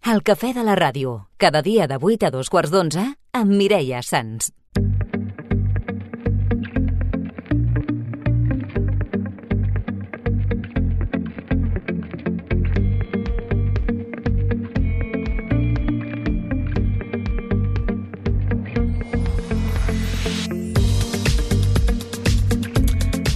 El cafè de la ràdio, cada dia de 8 a 2:15 amb Mireia Sans.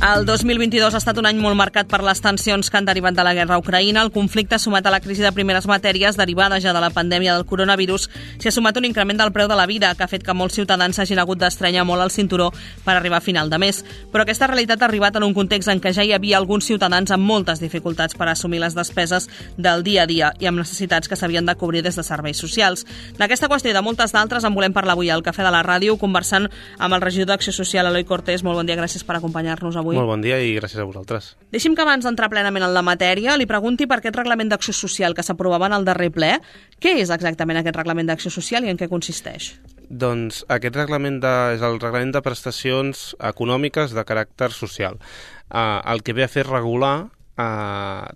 El 2022 ha estat un any molt marcat per les tensions que han derivat de la guerra a Ucraïna. El conflicte, sumat a la crisi de primeres matèries derivada ja de la pandèmia del coronavirus, s'hi ha sumat un increment del preu de la vida, que ha fet que molts ciutadans s'hagin hagut d'estrenyar molt el cinturó per arribar a final de mes. Però aquesta realitat ha arribat en un context en què ja hi havia alguns ciutadans amb moltes dificultats per assumir les despeses del dia a dia i amb necessitats que s'havien de cobrir des de serveis socials. D'aquesta qüestió i de moltes d'altres en volem parlar avui al Cafè de la Ràdio, conversant amb el regidor d'Acció Social, Eloi Cortés. Molt bon dia, gràcies per acompanyar-nos avui. Molt bon dia i gràcies a vosaltres. Deixi'm que abans d'entrar plenament en la matèria li pregunti per aquest reglament d'acció social que s'aprovava en el darrer ple. Què és exactament aquest reglament d'acció social i en què consisteix? Doncs aquest reglament és el reglament de prestacions econòmiques de caràcter social. El que ve a fer és regular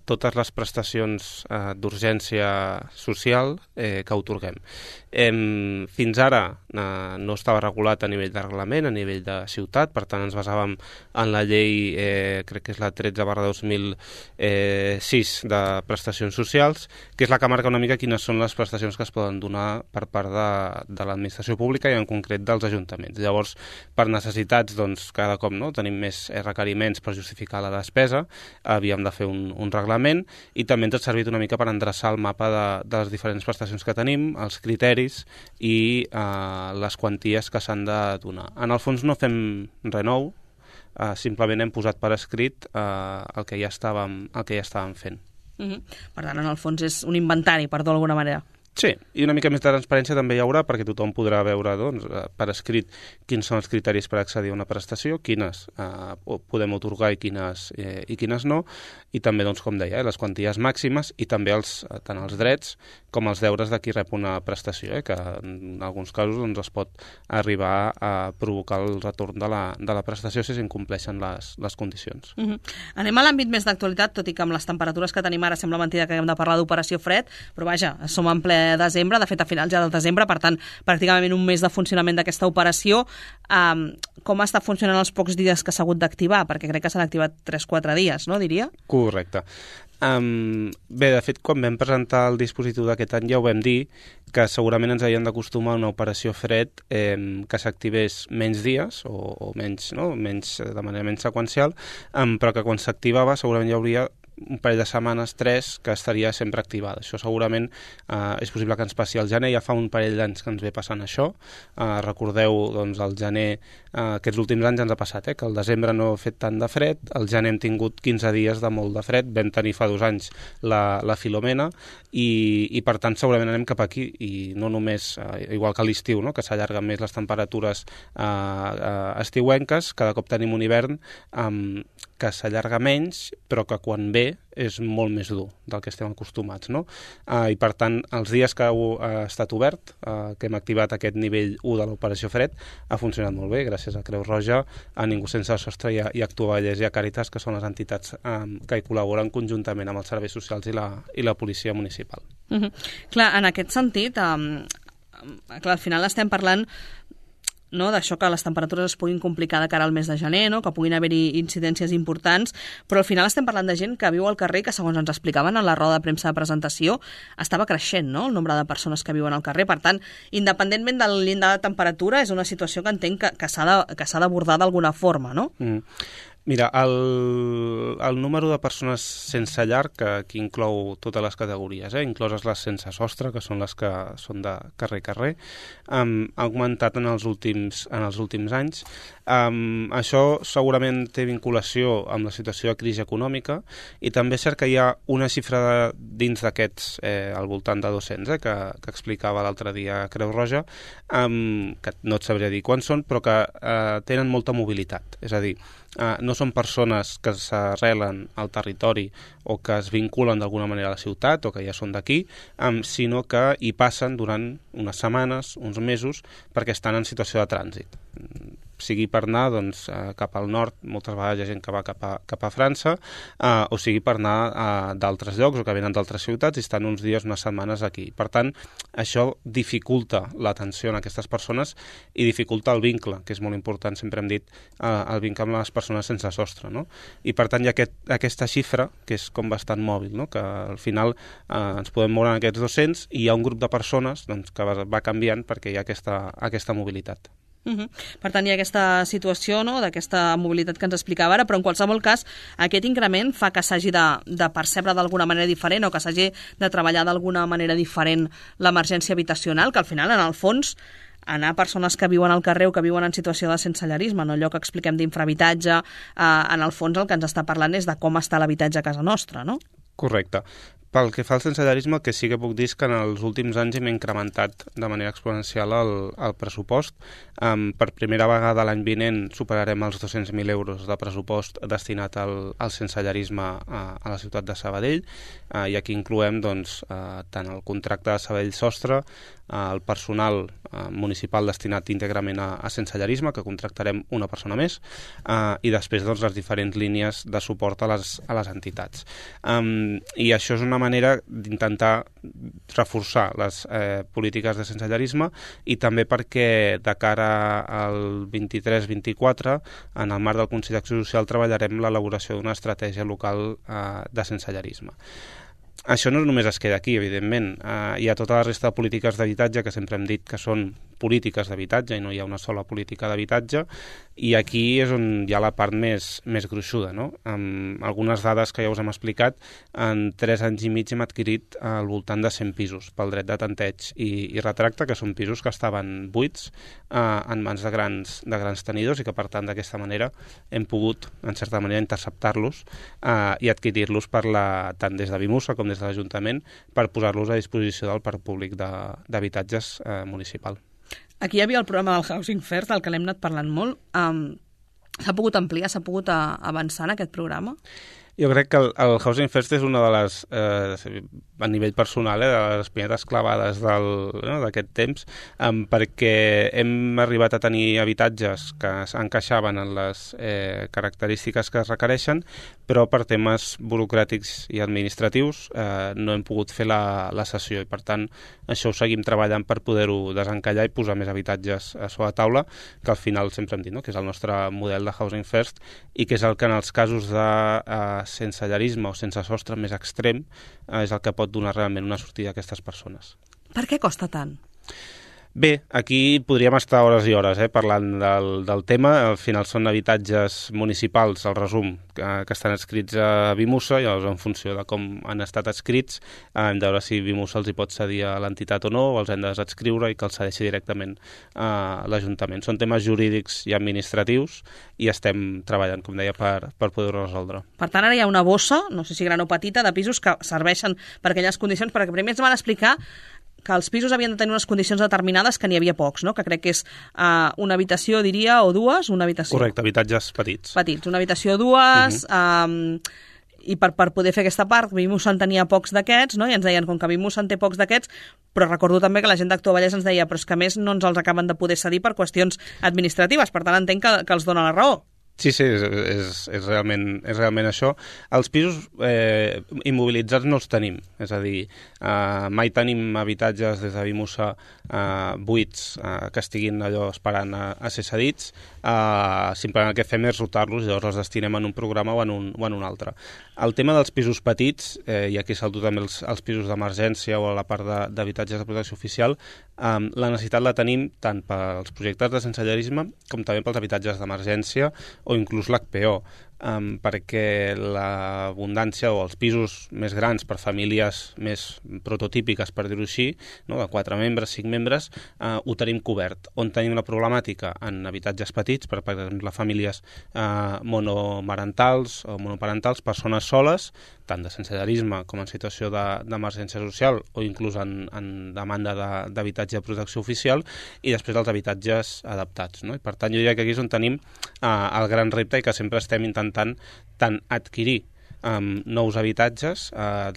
totes les prestacions d'urgència social que atorguem. Fins ara no estava regulat a nivell de reglament, a nivell de ciutat, per tant ens basàvem en la llei, crec que és la 13/2006 de prestacions socials, que és la que marca una mica quines són les prestacions que es poden donar per part de l'administració pública i en concret dels ajuntaments. Llavors, per necessitats, doncs, cada cop tenim més requeriments per justificar la despesa, havíem de fer un reglament i també ens ha servit una mica per endreçar el mapa de les diferents prestacions que tenim, els criteris i les quanties que s'han de donar. En el fons no fem res nou, simplement hem posat per escrit el que ja estàvem fent. Per tant, en el fons és un inventari, per dir-ho d'alguna manera. Sí, i una mica més de transparència també hi haurà perquè tothom podrà veure per escrit quins són els criteris per accedir a una prestació, quines podem atorgar i quines no, i també, com deia, les quanties màximes i també tant els drets com els deures de qui rep una prestació, que en alguns casos es pot arribar a provocar el retorn de la prestació si s'incompleixen les condicions. Anem a l'àmbit més d'actualitat, tot i que amb les temperatures que tenim ara sembla mentida que haguem de parlar d'operació fred, però vaja, som en ple desembre, de fet a finals ja del desembre, per tant, pràcticament un mes de funcionament d'aquesta operació. Com està funcionant els pocs dies que s'ha hagut d'activar? Perquè crec que s'han activat 3-4 dies, no, diria? Correcte. Bé, de fet, quan vam presentar el dispositiu d'aquest any ja ho vam dir, que segurament ens havíem d'acostumar a una operació fred que s'activés menys dies o menys, de manera menys seqüencial, però que quan s'activava segurament hi hauria un parell de setmanes, 3, que estaria sempre activada. Això segurament és possible que ens passi al gener, ja fa un parell d'anys que ens ve passant això. Recordeu, el gener, aquests últims anys ens ha passat, que el desembre no ha fet tant de fred, el gener hem tingut 15 dies de molt de fred, vam tenir fa 2 anys la Filomena, i per tant segurament anem cap aquí, i no només, igual que a l'estiu, que s'allarguen més les temperatures estiuenques, cada cop tenim un hivern que s'allarga menys, però que quan ve és molt més dur del que estem acostumats, I per tant, els dies que ha estat obert, que hem activat aquest nivell 1 de l'operació fred, ha funcionat molt bé, gràcies a Creu Roja, a Ningú Sense Sostre i a Actuavallès i a Càritas, que són les entitats que hi col·laboren conjuntament amb els serveis socials i la policia municipal. Clar, en aquest sentit, al final estem parlant d'això, que les temperatures es puguin complicar de cara al mes de gener, que puguin haver-hi incidències importants, però al final estem parlant de gent que viu al carrer, que segons ens explicaven en la roda de premsa de presentació, estava creixent, el nombre de persones que viuen al carrer. Per tant, independentment del llindar de temperatura, és una situació que entenc que s'ha d'abordar d'alguna forma, no? Mira, el número de persones sense llar, que aquí inclou totes les categories, incloses les sense sostre, que són les que són de carrer a carrer, ha augmentat en els últims anys. Això segurament té vinculació amb la situació de crisi econòmica i també és cert que hi ha una xifra dins d'aquests, al voltant de 200, que explicava l'altre dia Creu Roja, que no et sabria dir quants són, però que tenen molta mobilitat. És a dir, no són persones que s'arrelen al territori o que es vinculen d'alguna manera a la ciutat o que ja són d'aquí, sinó que hi passen durant unes setmanes, uns mesos, perquè estan en situació de trànsit. sigui per anar doncs, cap al nord, moltes vegades hi ha gent que va cap a França, o sigui per anar d'altres llocs o que venen d'altres ciutats i estan uns dies, unes setmanes aquí. Per tant, això dificulta l'atenció a aquestes persones i dificulta el vincle, que és molt important, sempre hem dit, el vincle amb les persones sense sostre, no? I per tant hi ha aquesta xifra, que és com bastant mòbil, no? Que al final ens podem moure en aquests 200 i hi ha un grup de persones doncs, que va canviant perquè hi ha aquesta mobilitat. Per tant, hi ha aquesta situació, no?, d'aquesta mobilitat que ens explicava ara, però en qualsevol cas aquest increment fa que s'hagi de percebre d'alguna manera diferent o que s'hagi de treballar d'alguna manera diferent l'emergència habitacional, que al final, en el fons, anar a persones que viuen al carrer o que viuen en situació de sensellarisme, no allò que expliquem d'infrahabitatge, en el fons el que ens està parlant és de com està l'habitatge a casa nostra, no? Correcte. Pel que fa al sensellarisme, el que sí que puc dir és que en els últims anys hem incrementat de manera exponencial el pressupost. Per primera vegada l'any vinent superarem els 200.000 euros de pressupost destinat al sensellarisme a la ciutat de Sabadell, i aquí incloem doncs, tant el contracte de Sabadell Sostre, el personal municipal destinat íntegrament a sensellarisme, que contractarem una persona més, i després doncs, les diferents línies de suport a les entitats. I això és una manera d'intentar reforçar les polítiques de sensellarisme i també perquè de cara al 23-24, en el marc del Consell d'Acció Social, treballarem l'elaboració d'una estratègia local de sensellarisme. Això no només es queda aquí, evidentment. Hi ha tota la resta de polítiques d'habitatge que sempre hem dit que són polítiques d'habitatge i no hi ha una sola política d'habitatge, i aquí és on hi ha la part més gruixuda, no? Amb algunes dades que ja us hem explicat, en 3 anys i mig hem adquirit al voltant de 100 pisos pel dret de tanteig i retracte, que són pisos que estaven buits en mans de grans tenidors i que, per tant, d'aquesta manera hem pogut, en certa manera, interceptar-los i adquirir-los tant des de Vimusa com des de l'Ajuntament per posar-los a disposició del parc públic d'habitatges municipal. Aquí hi havia el programa del Housing First, del que l'hem anat parlant molt. S'ha pogut ampliar, s'ha pogut avançar en aquest programa? Jo crec que el Housing First és una de les, a nivell personal, de les primeres clavades d'aquest temps, perquè hem arribat a tenir habitatges que encaixaven en les característiques que es requereixen, però per temes burocràtics i administratius no hem pogut fer la cessió, i per tant això ho seguim treballant per poder-ho desencallar i posar més habitatges sobre la taula, que al final sempre hem dit, no?, que és el nostre model de Housing First i que és el que en els casos de sensellarisme o sense sostre més extrem és el que pot donar realment una sortida a aquestes persones. Per què costa tant? Bé, aquí podríem estar hores i hores parlant del tema. Al final són habitatges municipals, el resum, que estan adscrits a Vimusa, i llavors en funció de com han estat adscrits hem de veure si Vimusa els hi pot cedir a l'entitat o no, o els hem de desadscriure i que els cedeixi directament a l'Ajuntament. Són temes jurídics i administratius i estem treballant, com deia, per poder-ho resoldre. Per tant, ara hi ha una bossa, no sé si gran o petita, de pisos que serveixen per aquelles condicions, perquè primer ens van explicar que els pisos havien de tenir unes condicions determinades, que n'hi havia pocs, no? Que crec que és una habitació, diria, o dues, una habitació. Correcte, habitatges petits. Petits, una habitació, dues, i per poder fer aquesta part, Vimusa en tenia pocs d'aquests, no? I ens deien, com que Vimusa en té pocs d'aquests, però recordo també que la gent d'Actua Vallès ens deia, però és que a més no ens els acaben de poder cedir per qüestions administratives, per tant entenc que els dona la raó. Sí, és realment això. Els pisos immobilitzats no els tenim, és a dir, mai tenim habitatges des de Vimusa buits que estiguin allò esperant a ser cedits, simplement el que fem és rotar-los i llavors els destinem en un programa o en un altre. El tema dels pisos petits, i aquí salto també els pisos d'emergència o la part d'habitatges de protecció oficial, la necessitat la tenim tant pels projectes de sensellarisme com també pels habitatges d'emergència o inclús l'HPO, perquè l'abundància o els pisos més grans per famílies més prototípiques, per dir-ho així, no, de 4 membres, 5 membres, ho tenim cobert. On tenim la problemàtica? En habitatges petits, per exemple, famílies monomarentals o monoparentals, persones soles, tant de sensellarisme com en situació d'emergència social o inclús en demanda d'habitatge de protecció oficial, i després els habitatges adaptats, no? I per tant, jo diria que aquí és on tenim el gran repte i que sempre estem intentant tant adquirir nous habitatges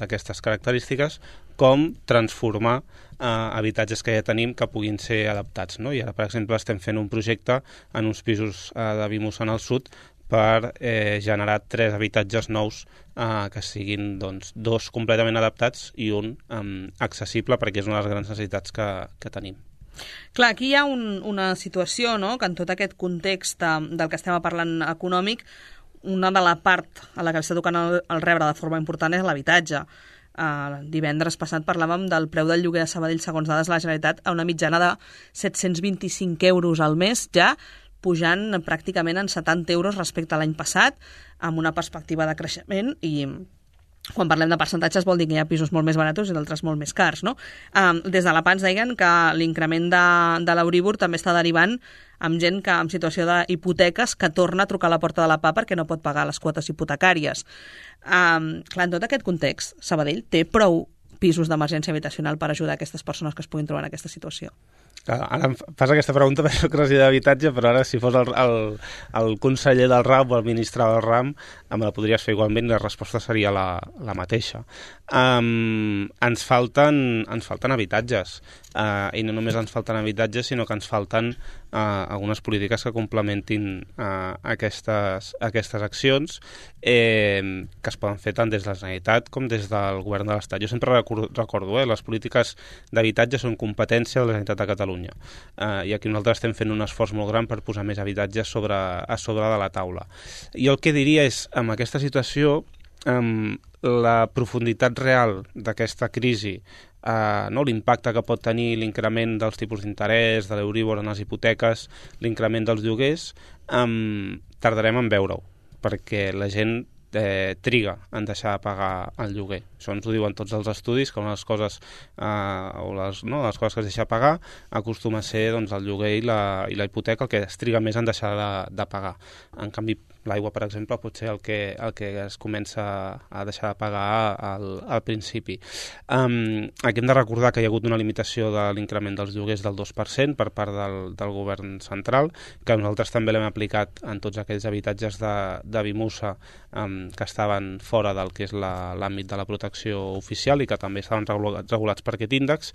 d'aquestes característiques com transformar habitatges que ja tenim que puguin ser adaptats, no? I ara, per exemple, estem fent un projecte en uns pisos de Vimusa en el sud per generar 3 habitatges nous que siguin 2 completament adaptats i un accessible, perquè és una de les grans necessitats que tenim. Clar, aquí hi ha una situació, no?, que en tot aquest context del que estem parlant econòmic, una de la part a la que està tocant el rebre de forma important és l'habitatge. Divendres passat parlàvem del preu del lloguer a Sabadell, segons dades de la Generalitat, a una mitjana de 725 euros al mes, ja pujant pràcticament en 70 euros respecte a l'any passat, amb una perspectiva de creixement, i quan parlem de percentatges vol dir que hi ha pisos molt més barats i d'altres molt més cars, no? Des de la PANS deien que l'increment de l'Euríbor també està derivant amb gent que en situació d'hipoteques que torna a trucar a la porta de la PA perquè no pot pagar les quotes hipotecàries. Clar, en tot aquest context, Sabadell té prou pisos d'emergència habitacional per ajudar aquestes persones que es puguin trobar en aquesta situació? Ara em fas aquesta pregunta per soc regidor d'habitatge, però ara si fos el conseller del RAM o el ministre del RAM me la podries fer igualment i la resposta seria la mateixa. Ens falten habitatges, i no només ens falten habitatges, sinó que ens falten algunes polítiques que complementin aquestes accions que es poden fer tant des de la Generalitat com des del Govern de l'Estat. Jo sempre recordo, les polítiques d'habitatge són competència de la Generalitat de Catalunya. I aquí nosaltres estem fent un esforç molt gran per posar més habitatges a sobre de la taula. Jo el que diria és, amb aquesta situació, la profunditat real d'aquesta crisi, l'impacte que pot tenir l'increment dels tipus d'interès, de l'Euríbor en les hipoteques, l'increment dels lloguers, tardarem en veure-ho, perquè la gent triga en deixar de pagar el lloguer. Això ens ho diuen tots els estudis, que una de les coses, les coses que es deixa de pagar acostuma a ser el lloguer i la hipoteca el que es triga més en deixar de pagar. En canvi, l'aigua, per exemple, pot ser el que es comença a deixar de pagar al principi. Aquí hem de recordar que hi ha hagut una limitació de l'increment dels lloguers del 2% per part del govern central, que nosaltres també l'hem aplicat en tots aquells habitatges de Vimusa que estaven fora del que és l'àmbit de la protecció oficial i que també estaven regulats per aquest índex,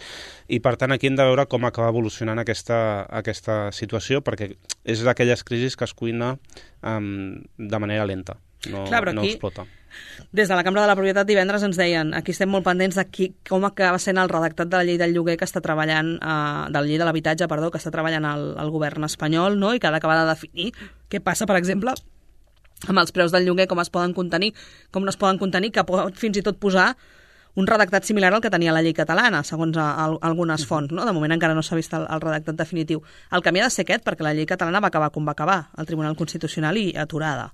i per tant aquí hem de veure com acaba evolucionant aquesta situació, perquè és d'aquelles crisis que es cuina de manera lenta, no explota. Des de la Cambra de la Propietat divendres ens deien, aquí estem molt pendents de com acaba sent el redactat de la llei del lloguer que està treballant, de la llei de l'habitatge, que està treballant el govern espanyol, no? I que ha d'acabar de definir què passa, per exemple, amb els preus del lloguer, com es poden contenir, com no es poden contenir, que pot fins i tot posar un redactat similar al que tenia la llei catalana, segons algunes fonts, no? De moment encara no s'ha vist el redactat definitiu. El camí ha de ser aquest, perquè la llei catalana va acabar com va acabar, al Tribunal Constitucional i aturada.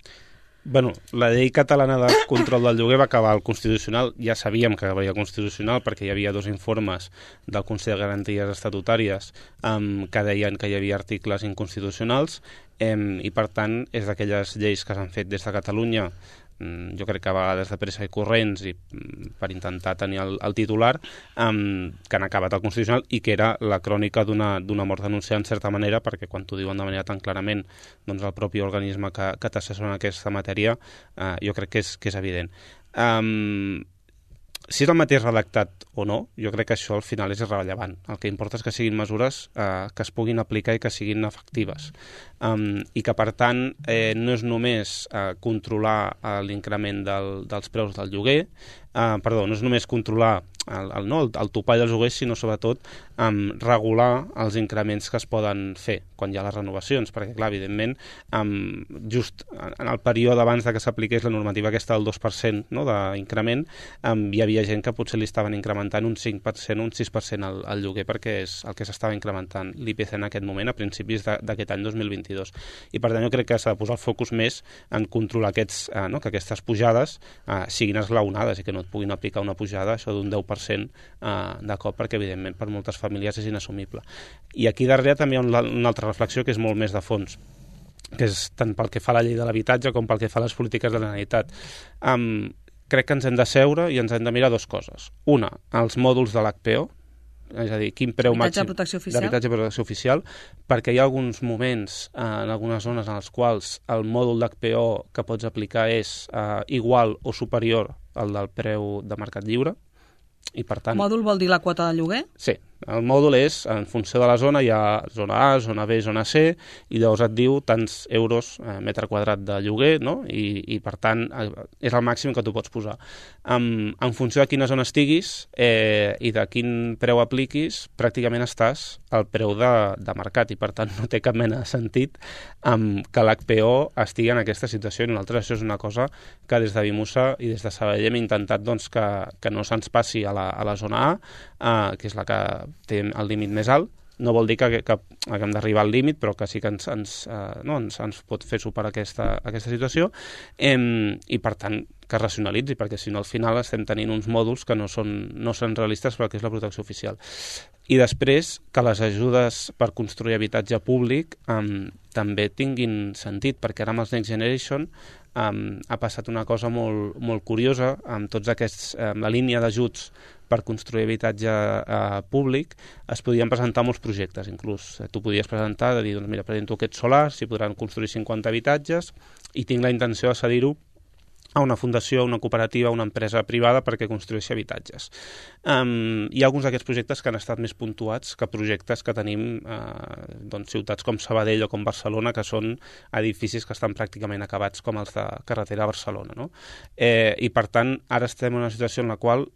Bueno, la llei catalana de control del lloguer va acabar al Constitucional. Ja sabíem que acabaria al Constitucional perquè hi havia 2 informes del Consell de Garanties Estatutàries que deien que hi havia articles inconstitucionals i, per tant, és d'aquelles lleis que s'han fet des de Catalunya, jo crec que a vegades de pressa i corrents i per intentar tenir el titular, que han acabat al Constitucional i que era la crònica d'una mort denunciada en certa manera, perquè quan t'ho diuen de manera tan clarament el propi organisme que t'assessora en aquesta matèria, jo crec que és evident. Si és el mateix redactat o no, jo crec que això al final és irrellevant. El que importa és que siguin mesures que es puguin aplicar i que siguin efectives. I que, per tant, no és només controlar l'increment dels preus del lloguer, no és només controlar el topall dels lloguers, sinó sobretot regular els increments que es poden fer quan hi ha les renovacions, perquè clar, evidentment just en el període abans que s'apliqués la normativa aquesta del 2% d'increment, hi havia gent que potser li estaven incrementant un 5%, un 6% al lloguer, perquè és el que s'estava incrementant l'IPC en aquest moment a principis d'aquest any 2022. I per tant jo crec que s'ha de posar el focus més en controlar que aquestes pujades siguin esglaonades i que no et puguin aplicar una pujada això d'un 10% de cop, perquè evidentment per moltes famílies és inassumible. I aquí darrere també hi ha una altra reflexió que és molt més de fons, que és tant pel que fa a la llei de l'habitatge com pel que fa a les polítiques de la Generalitat. Crec que ens hem de seure i ens hem de mirar 2 coses. Una, els mòduls de l'HPO, és a dir, quin preu màxim d'habitatge de protecció oficial, perquè hi ha alguns moments en algunes zones en els quals el mòdul d'HPO que pots aplicar és igual o superior al del preu de mercat lliure, per tant... Mòdul vol dir la quota de lloguer? Sí, el mòdul és, en funció de la zona, hi ha zona A, zona B, zona C, i llavors et diu tants euros metre quadrat de lloguer, no? I per tant, és el màxim que tu pots posar. En funció de quina zona estiguis i de quin preu apliquis, pràcticament estàs al preu de mercat, i per tant no té cap mena de sentit que l'HPO estigui en aquesta situació. I nosaltres això és una cosa que des de Vimusa i des de Sabadell hem intentat doncs, que no se'ns passi a la zona A, que és la que té el límit més alt. No vol dir que haguem d'arribar al límit, però que sí que ens pot fer superar aquesta situació, i per tant que es racionalitzi, perquè si no al final estem tenint uns mòduls que no són realistes perquè és la protecció oficial. I després que les ajudes per construir habitatge públic també tinguin sentit, perquè ara amb els Next Generation ha passat una cosa molt, molt curiosa amb tots aquests, la línia d'ajuts per construir habitatge públic. Es podien presentar molts projectes, inclús tu podies presentar, de dir, doncs mira, presento aquests solars, si podran construir 50 habitatges i tinc la intenció de cedir-ho a una fundació, una cooperativa, una empresa privada perquè construeixi habitatges. Hi ha alguns d'aquests projectes que han estat més puntuats que projectes que tenim ciutats com Sabadell o com Barcelona, que són edificis que estan pràcticament acabats com els de carretera a Barcelona, no? I per tant, ara estem en una situació en la qual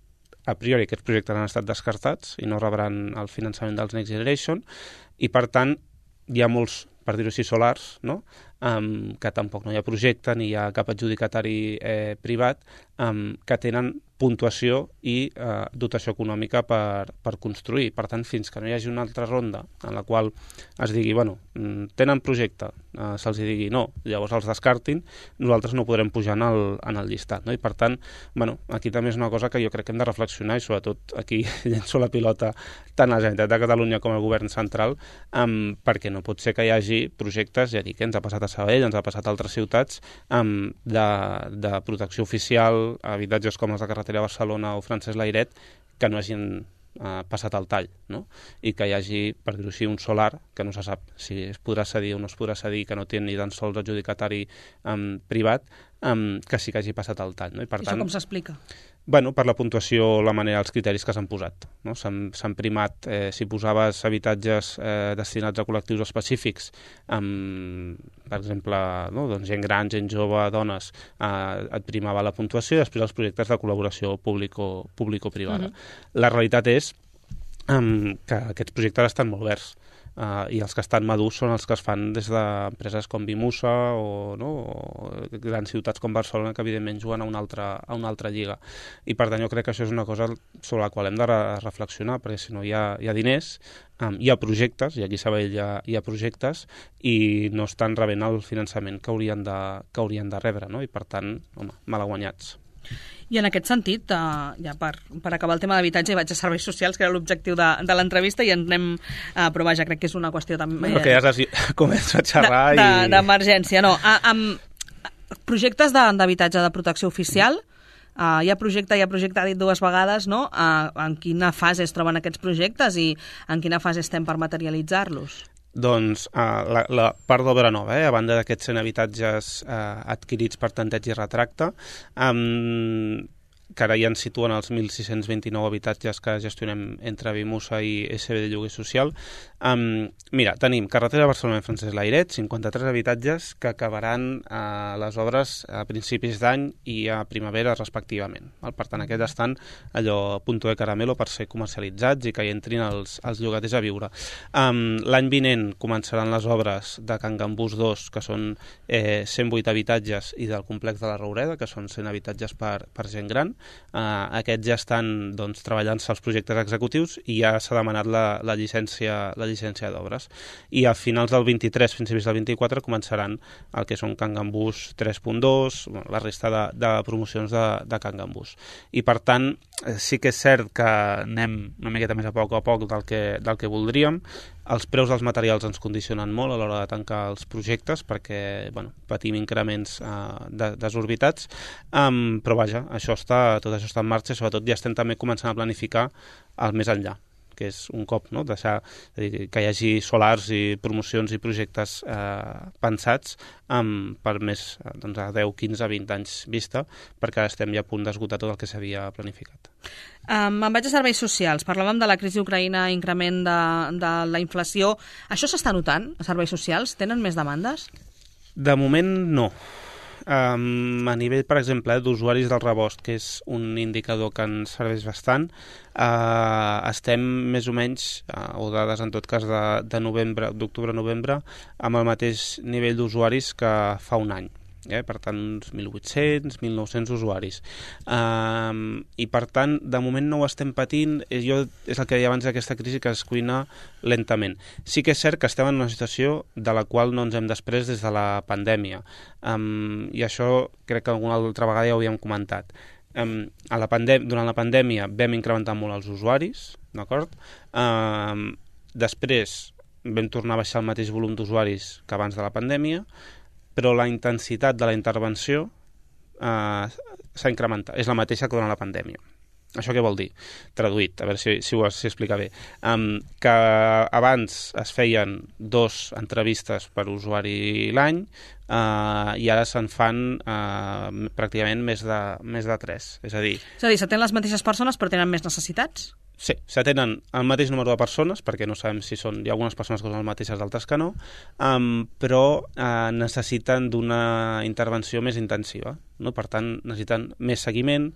a priori aquests projectes han estat descartats i no rebran el finançament dels Next Generation, i per tant hi ha molts, per dir-ho així, solars, no? Que tampoc no hi ha projecte ni hi ha cap adjudicatari privat, que tenen puntuació i dotació econòmica per construir. Per tant, fins que no hi hagi una altra ronda en la qual es digui, bueno, tenen projecte, se'ls digui no, llavors els descartin, nosaltres no podrem pujar en el llistat, no? I per tant, bueno, aquí també és una cosa que jo crec que hem de reflexionar, i sobretot aquí llenço la pilota tant a la Generalitat de Catalunya com al govern central, perquè no pot ser que hi hagi projectes, ja dic, ens ha passat a Sabadell, ens ha passat a altres ciutats, de protecció oficial, habitatges com els de carretera a Barcelona o Francesc Layret, que no hagin passat al tall, no? I que hi hagi, per dir-ho així, un solar que no se sap si es podrà cedir o no es podrà cedir, que no té ni tan sols adjudicatari privat, que sí que hagi passat al tall, no? I per tant, això com s'explica? Bueno, per la puntuació, la manera, els criteris que s'han posat, no? S'han primat, si posaves habitatges destinats a col·lectius específics, per exemple, no? Doncs gent gran, gent jove, dones, et primava la puntuació, i després els projectes de col·laboració público-privada. La realitat és que aquests projectes estan molt verds, i els que estan madurs són els que es fan des d'empreses com Vimusa o grans ciutats com Barcelona, que evidentment juguen a una altra lliga. I per tant jo crec que això és una cosa sobre la qual hem de reflexionar, perquè si no hi ha diners, hi ha projectes, i aquí a Sabadell hi ha projectes, i no estan rebent el finançament que haurien de rebre, no? I per tant, home, malaguanyats. I en aquest sentit, ja per acabar el tema d'habitatge, vaig a serveis socials, que era l'objectiu de l'entrevista, i ens anem a provar, ja crec que és una qüestió també... Bueno, que ja començo a xerrar d'emergència, no. Amb projectes d'habitatge de protecció oficial, hi ha projecte, ha dit dues vegades, no? En quina fase es troben aquests projectes i en quina fase estem per materialitzar-los? Doncs la part d'obra nova, a banda d'aquests 100 habitatges adquirits per tanteig i retracte, que ara ja ens situen els 1.629 habitatges que gestionem entre Vimusa i SB de Lloguer Social. Mira, tenim carretera Barcelona i Francesc Layret, 53 habitatges que acabaran les obres a principis d'any i a primavera respectivament. Per tant, aquests estan allò a punto de caramelo per ser comercialitzats i que hi entrin els llogaters a viure. L'any vinent començaran les obres de Can Gambús 2, que són 108 habitatges, i del complex de la Roureda, que són 100 habitatges per gent gran. Aquests ja estan treballant-se els projectes executius i ja s'ha demanat la llicència d'obres. I a finals del 23, principis del 24, començaran el que són Can Gambús 3.2, la resta de promocions de Can Gambús. I per tant, sí que és cert que anem una miqueta més a poc del que voldríem. Els preus dels materials ens condicionen molt a l'hora de tancar els projectes perquè patim increments desorbitats, però vaja, tot això està en marxa, i sobretot ja estem també començant a planificar el més enllà, que és un cop, no? Deixar que hi hagi solars i promocions i projectes pensats per més doncs, a 10, 15, 20 anys vista, perquè ara estem ja a punt d'esgotar tot el que s'havia planificat. Me'n vaig a serveis socials. Parlàvem de la crisi ucraïna, increment de la inflació. Això s'està notant a serveis socials? Tenen més demandes? De moment, no. A nivell, per exemple, d'usuaris del rebost, que és un indicador que ens serveix bastant, estem més o menys, o dades en tot cas d'octubre-novembre, amb el mateix nivell d'usuaris que fa un any. Per tant, uns 1.800, 1.900 usuaris. I, per tant, de moment no ho estem patint. És el que deia abans d'aquesta crisi, que es cuina lentament. Sí que és cert que estem en una situació de la qual no ens hem després des de la pandèmia. I això crec que alguna altra vegada ja ho havíem comentat. Durant la pandèmia vam incrementar molt els usuaris, d'acord? Després vam tornar a baixar el mateix volum d'usuaris que abans de la pandèmia, però la intensitat de la intervenció s'ha incrementat. És la mateixa que durant la pandèmia. Això què vol dir? Traduït, a veure si ho explica bé. Que abans es feien 2 entrevistes per usuari l'any i ara se'n fan pràcticament més de 3. És a dir, s'atenen les mateixes persones però tenen més necessitats? Sí, s'atenen el mateix número de persones, perquè no sabem si hi ha algunes persones que són les mateixes, d'altres que no, però necessiten d'una intervenció més intensiva. No? Per tant, necessiten més seguiment,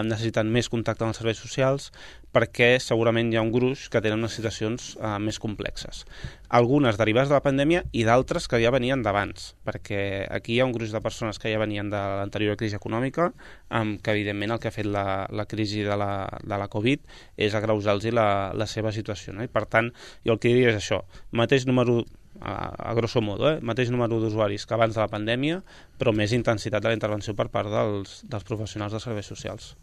necessiten més contacte amb els serveis socials, perquè segurament hi ha un gruix que tenen unes situacions més complexes. Algunes derivades de la pandèmia i d'altres que ja venien d'abans, perquè aquí hi ha un gruix de persones que ja venien de l'anterior crisi econòmica, que evidentment el que ha fet la crisi de la Covid és agreujar-los la seva situació. No? I per tant, jo el que diria és això, mateix número, a grosso modo, mateix número d'usuaris que abans de la pandèmia, però més intensitat de la intervenció per part dels professionals dels serveis socials.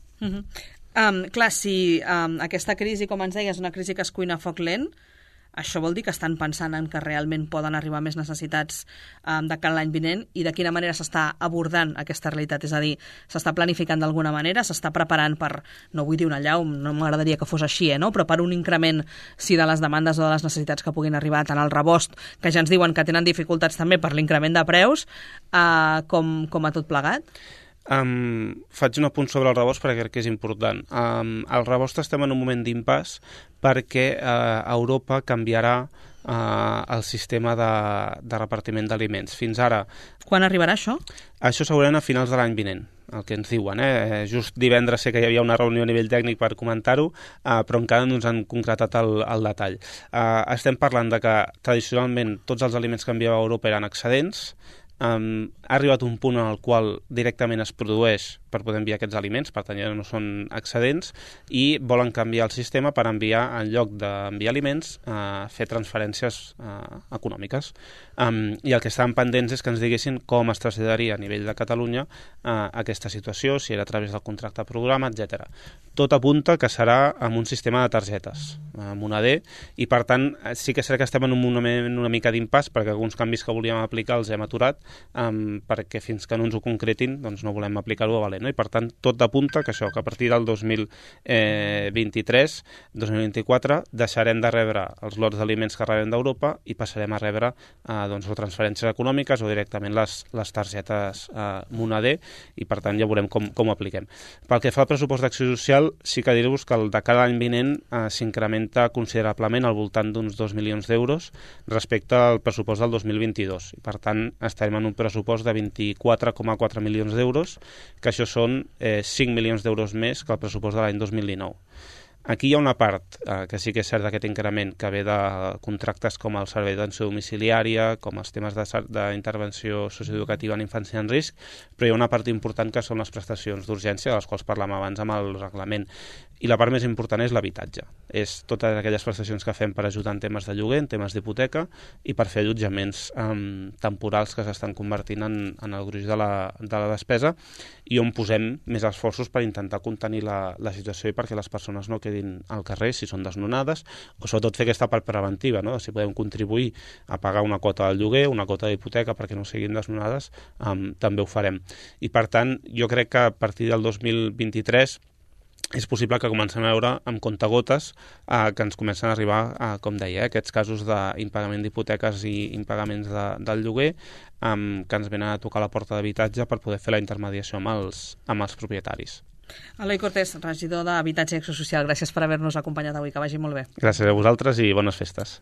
Clar, si aquesta crisi, com ens deia, és una crisi que es cuina a foc lent, això vol dir que estan pensant en que realment poden arribar més necessitats de cara a l'any vinent i de quina manera s'està abordant aquesta realitat, és a dir, s'està planificant d'alguna manera, s'està preparant per, no vull dir una allau, no m'agradaria que fos així, no? Però per un increment sí de les demandes o de les necessitats que puguin arribar tant al rebost, que ja ens diuen que tenen dificultats també per l'increment de preus, com a tot plegat? Faig un apunt sobre el rebost perquè crec que és important. Al rebost estem en un moment d'impàs perquè Europa canviarà el sistema de repartiment d'aliments. Fins ara... Quan arribarà això? Això segurament a finals de l'any vinent, el que ens diuen. Just divendres sé que hi havia una reunió a nivell tècnic per comentar-ho, però encara no ens han concretat el detall. Estem parlant de que tradicionalment tots els aliments que enviava a Europa eren excedents. Ha arribat un punt en el qual directament es produeix per poder enviar aquests aliments, per tant ja no són excedents, i volen canviar el sistema per enviar, en lloc d'enviar aliments, fer transferències econòmiques. I el que estaven pendents és que ens diguessin com es traslladaria a nivell de Catalunya aquesta situació, si era a través del contracte programa, etc. Tot apunta que serà amb un sistema de targetes, moneder, i per tant sí que serà que estem en un moment una mica d'impàs, perquè alguns canvis que volíem aplicar els hem aturat, perquè fins que no ens ho concretin doncs no volem aplicar-ho a valer. No? I per tant tot apunta que això, que a partir del 2023-2024 deixarem de rebre els lots d'aliments que rebem d'Europa i passarem a rebre o transferències econòmiques o directament les targetes moneder, i per tant ja veurem com ho apliquem. Pel que fa al pressupost d'acció social, sí que dir-vos que el de cada any vinent s'incrementa considerablement al voltant d'uns 2 milions d'euros respecte al pressupost del 2022. I per tant estarem en un pressupost de 24,4 milions d'euros, que això són 5 milions d'euros més que el pressupost de l'any 2019. Aquí hi ha una part que sí que és cert d'aquest increment que ve de contractes com el servei d'atenció domiciliària, com els temes d'intervenció socioeducativa en infància en risc, però hi ha una part important que són les prestacions d'urgència, de les quals parlàvem abans amb el reglament. I la part més important és l'habitatge. És totes aquelles prestacions que fem per ajudar en temes de lloguer, en temes d'hipoteca i per fer allotjaments temporals que s'estan convertint en el gruix de la despesa, i on posem més esforços per intentar contenir la situació i perquè les persones no quedin al carrer si són desnonades, o sobretot fer aquesta part preventiva, no? Si podem contribuir a pagar una quota del lloguer, una quota d'hipoteca perquè no siguin desnonades, també ho farem. I per tant, jo crec que a partir del 2023 és possible que comencem a veure amb comptagotes que ens comencen a arribar, com deia, aquests casos d'impagament d'hipoteques i impagaments del lloguer que ens venen a tocar la porta d'habitatge per poder fer la intermediació amb els propietaris. Eloi Cortés, regidor d'Habitatge i Acció Social, gràcies per haver-nos acompanyat avui, que vagi molt bé. Gràcies a vosaltres i bones festes.